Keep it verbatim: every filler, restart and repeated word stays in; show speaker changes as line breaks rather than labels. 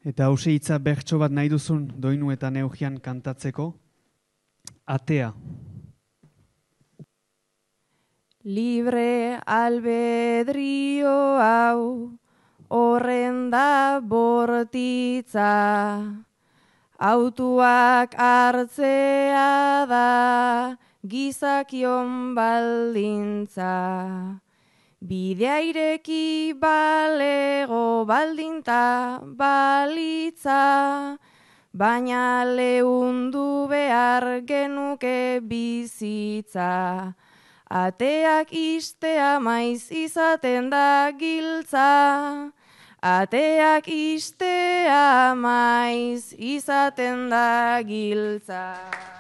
Eta hause hitza bertso bat nahi duzun doinu eta neugian kantatzeko. Atea.
Libre albedrio hau, horren da bortitza, autuak hartzea da gizakion baldintza. Bidea ireki balego baldinta balitza, baina leundu behar genuke bizitza. Ateak istea maiz izaten da giltza, ateak istea maiz izaten da giltza.